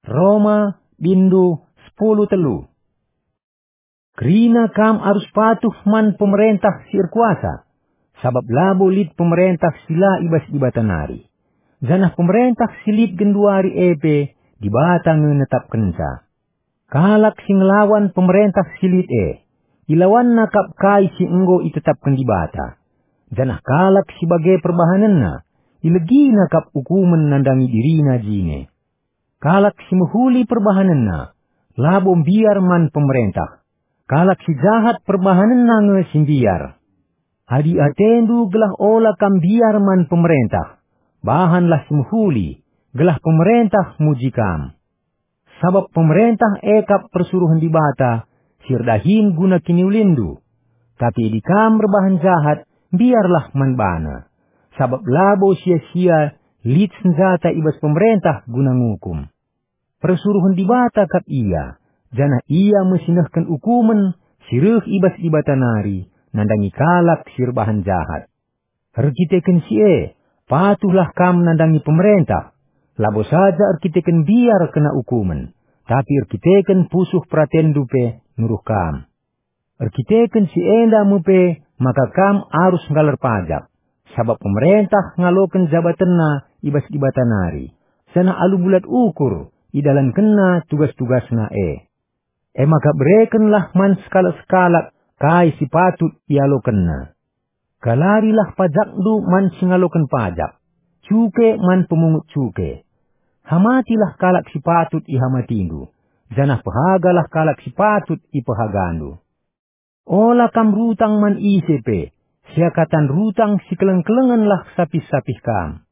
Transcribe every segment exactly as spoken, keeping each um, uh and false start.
Roma, bindu sepuluh telu. Kerina kam arus patuh man pemerentah si erkuasa, sabap labo lit pemerentah si la i bas Dibata nari. Janah pemerentah si lit genduari e pe Dibata nge netapkenca. Kalak si ngelawan pemerentah si lit e, ilawanna kap kai si enggo itetapken Dibata. Janah kalak si bage perbahanenna, ilegina kap ukumen nandangi dirina jine. Kalak si mehuli perbahanenna, labo mbiar man pemerentah. Kalak si jahat perbahanenna nge si mbiar. Adi atendu gelah ola kam mbiar man pemerentah, bahanlah si mehuli, gelah pemerentah muji kam. Sabap pemerentah e kap persuruhen Dibata si erdahin guna kiniulinndu. Tapi adi kam erbahan jahat, mbiarlah man bana. Sabap labo sia-sia lit senjata i bas pemerentah guna ngukum. Persuruhen Dibata kap ia, janah ia me si nehken ukumen si reh i bas Dibata nari nandangi kalak si erbahan jahat. Erkiteken si e, patuhlah kam nandangi pemerentah, labo saja erkiteken mbiar kena ukumen, tapi erkiteken pusuh peratenndu pe nuruh kam. Erkiteken si enda me pe maka kam arus nggalar pajak, sabap pemerentah ngaloken jabatenna i bas Dibata nari, janah alu bulat ukur idalankenna tugas-tugasna e. E maka berekenlah man sekalak-sekalak kai si patut ialokenna. Galarilah pajakndu man si ngaloken pajak, cuke man pemungut cuke. Hamatilah kalak si patut ihamatindu, janah pehagalah kalak si patut ipehagandu. Ola kam rutang man ise pe, seakatan rutang si keleng-kelengenlah sapih-sapih kam.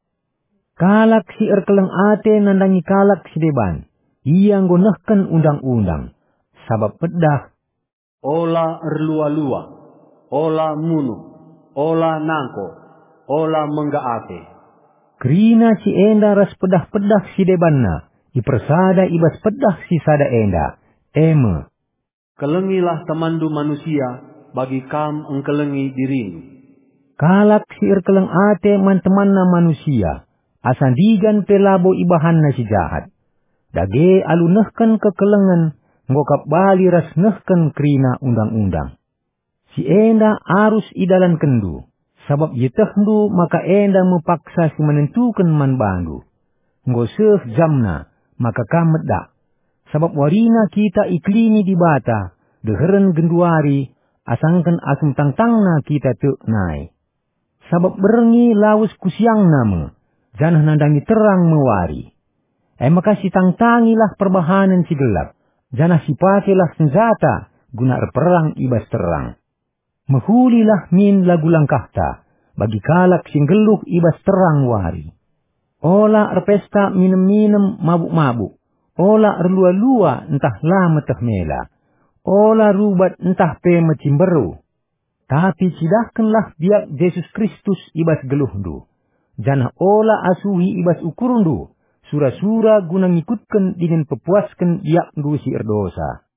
Kalak si erkeleng ate nandangi kalak si deban, ia enggo nehken undang-undang. Sabap pedah, "Ola erlua-lua, ola munuh, ola nangko, ola mengga ate." Kerina si enda ras pedah-pedah si debanna ipersada i bas pedah si sada enda, e me, "Kelengilah temanndu manusia bagi kam engkelengi dirindu." Kalak si erkeleng ate man temanna manusia, asa ndigan pe labo ibahanna si jahat. Dage alu nehken kekelengen enggo kap bali ras nehken kerina undang-undang. Si enda arus idalankenndu, sabap ietehndu maka enda me paksa si menentuken man bandu. Enggo seh jamna maka kam medak, sabap warina kita ikelini Dibata deheren genduari, asangken asum tangtangna kita tek nai. Sabap berngi lawes ku siangna me, janah nandangi terang me wari. E maka sitangtangilah perbahanen si gelap, janah sipakelah senjata guna erperang i bas terang. Mehulilah min lagu langkahta bagi kalak si nggeluh i bas terang wari. Ola erpesta minem-minem mabuk-mabuk, ola erlua-lua ntah la meteh mela, ola rubat ntah pe mecimberu. Tapi cidahkenlah biak Jesus Kristus i bas geluhndu, janah ola asuhi i bas ukurndu sura-sura guna ngikutken dingen pepuasken biakndu si erdosa.